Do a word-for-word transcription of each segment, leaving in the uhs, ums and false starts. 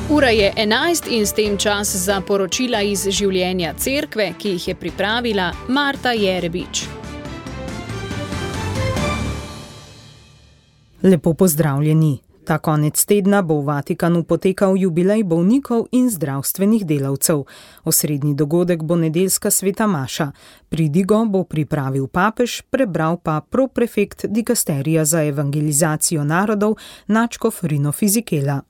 Ura je enajst in s tem čas za poročila iz življenja cerkve, ki jih je pripravila Marta Jerebič. Lepo pozdravljeni. Ta konec tedna bo v Vatikanu potekal jubilej bolnikov in zdravstvenih delavcev. Osrednji dogodek bo nedeljska sveta maša. Pridigo bo pripravil papež, prebral pa proprefekt dikasterija za evangelizacijo narodov nadškof Rino Fizikela.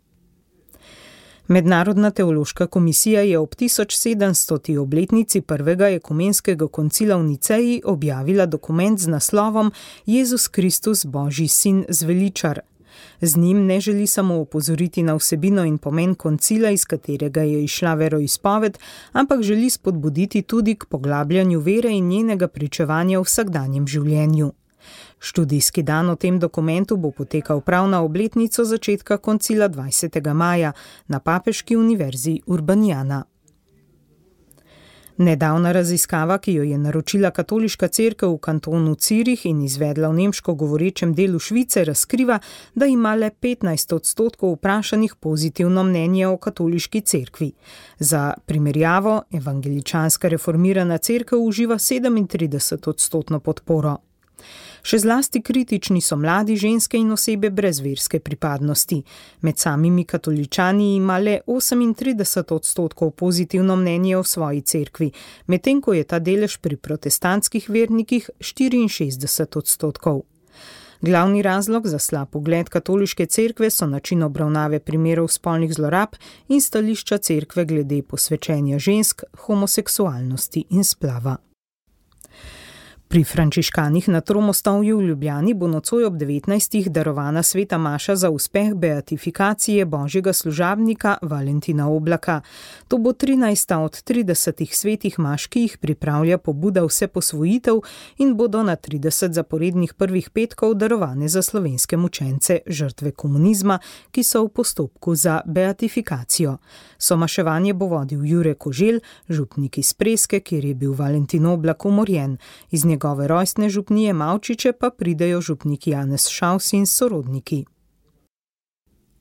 Mednarodna teološka komisija je ob tisoč sedemstoti obletnici prvega ekumenskega koncila v Niceji objavila dokument z naslovom Jezus Kristus, Božji sin, zveličar. Z njim ne želi samo opozoriti na vsebino in pomen koncila, iz katerega je izšla veroizpoved, ampak želi spodbuditi tudi k poglabljanju vere in njenega pričevanja v vsakdanjem življenju. Študijski dan o tem dokumentu bo potekal prav na obletnico začetka koncila dvajsetega maja na Papeški univerzi Urbaniana. Nedavna raziskava, ki jo je naročila katoliška cerkev v kantonu Cirih in izvedla v nemško govorečem delu Švice, razkriva, da ima le petnajst odstotkov vprašanih pozitivno mnenje o katoliški cerkvi. Za primerjavo, evangeličanska reformirana cerkev uživa sedemintrideset odstotno podporo. Še zlasti kritični so mladi, ženske in osebe brez verske pripadnosti. Med samimi katoličani ima le osemintrideset odstotkov pozitivno mnenje o svoji cerkvi, medtem ko je ta delež pri protestantskih vernikih štiriinšestdeset odstotkov. Glavni razlog za slab ugled katoliške cerkve so način obravnave primerov spolnih zlorab in stališča cerkve glede posvečenja žensk, homoseksualnosti in splava. Pri frančiškanih na Tromostovju v Ljubljani bo nocoj ob devetnajstih darovana sveta maša za uspeh beatifikacije božjega služabnika Valentina Oblaka. To bo trinajsta od tridesetih svetih maš, ki jih pripravlja pobuda Vseposvojitev in bodo na trideset zaporednih prvih petkov darovane za slovenske mučence, žrtve komunizma, ki so v postopku za beatifikacijo. Somaševanje bo vodil Jure Koželj, župnik iz Preske, kjer je bil Valentin Oblak umorjen. Iz njegove rojstne župnije Mavčiče pa pridejo župnik Janez Šaus in sorodniki.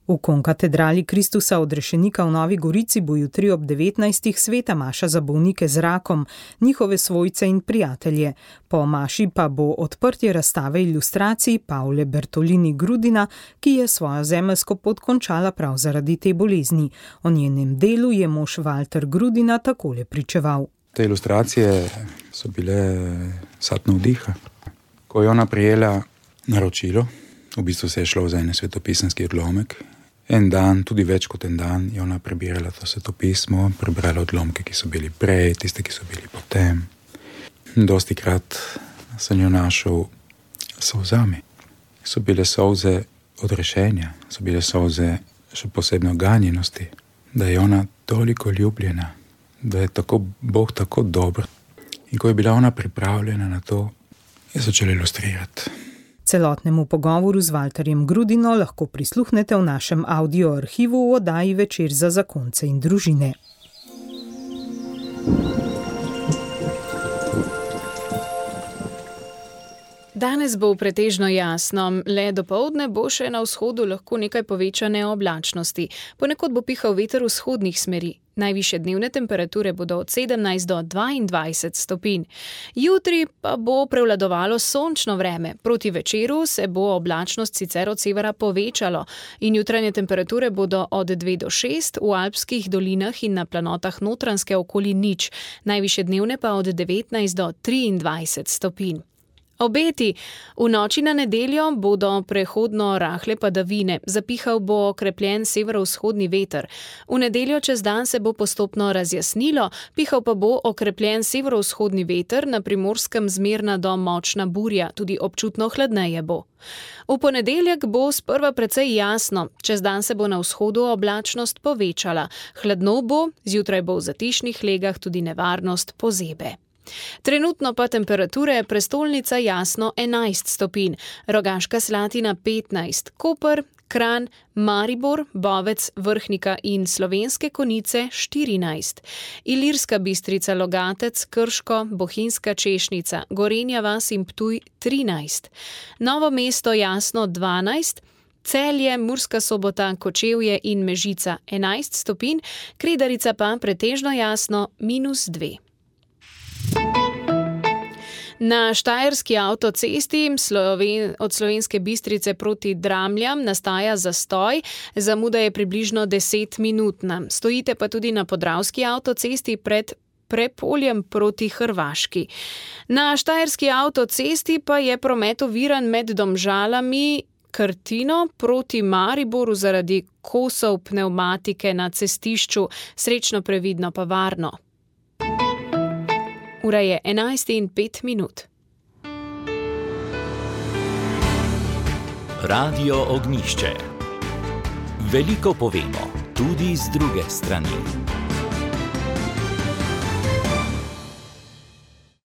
V konkatedrali Kristusa odrešenika v Novi Gorici bo jutri ob devetnajstih sveta maša za bolnike z rakom, njihove svojce in prijatelje. Po maši pa bo odprtje razstave ilustracij Pavle Bertolini Grudina, ki je svojo zemeljsko pot končala prav zaradi te bolezni. O njenem delu je mož Valter Grudina takole pričeval. Te ilustracije so bile sad navdiha. Ko je ona prijela naročilo, v bistvu se je šlo za en svetopisanski odlomek, en dan, tudi več kot en dan, je ona prebirala to svetopismo, prebrala odlomke, ki so bili prej, tiste, ki so bili potem. Dosti krat sem jo našel solzami. So bile solze odrešenja, so bile solze še posebno ganjenosti, da je ona toliko ljubljena, da je tako, Bog tako dober. In ko je bila ona pripravljena na to, je začela ilustrirati. Celotnemu pogovoru z Valterjem Grudino lahko prisluhnete v našem audio arhivu v oddaji Večer za zakonce in družine. Danes bo pretežno jasno, le dopoldne bo še na vzhodu lahko nekaj povečane oblačnosti. Ponekod bo pihal veter vzhodnih smeri. Najvišje dnevne temperature bodo od sedemnajst do dvaindvajset stopinj. Jutri pa bo prevladovalo sončno vreme. Proti večeru se bo oblačnost sicer od severa povečalo in jutranje temperature bodo od dve do šest, v alpskih dolinah in na planotah Notranjske okoli nič. Najvišje dnevne pa od devetnajst do triindvajset stopinj. Obeti. V noči na nedeljo bodo prehodno rahle padavine, zapihal bo okrepljen severovzhodni veter. V nedeljo čez dan se bo postopno razjasnilo, pihal pa bo okrepljen severovzhodni veter, na Primorskem zmerna do močna burja, tudi občutno hladneje bo. V ponedeljek bo sprva precej jasno, čez dan se bo na vzhodu oblačnost povečala. Hladno bo, zjutraj bo v zatišnih legah tudi nevarnost pozebe. Trenutno pa temperature prestolnica Jasno enajst stopinj, Rogaška Slatina petnajst, Koper, Kranj, Maribor, Bovec, Vrhnika in Slovenske Konjice štirinajst, Ilirska Bistrica, Logatec, Krško, Bohinjska Češnica, Gorenja vas in Ptuj trinajst, Novo mesto Jasno dvanajst, Celje, Murska Sobota, Kočevje in Mežica enajst stopinj, Kredarica pa pretežno jasno minus dve. Na štajerski avtocesti Sloven- od Slovenske Bistrice proti Dramljam nastaja zastoj, zamuda je približno desetminutna. Stojite pa tudi na podravski avtocesti pred Prepoljem proti Hrvaški. Na štajerski avtocesti pa je promet oviran med Domžalami, Krtino proti Mariboru zaradi kosov pnevmatike na cestišču, srečno, previdno pa varno. Ura je enajst in pet minut. Radio Ognjišče. Veliko povemo, tudi z druge strani.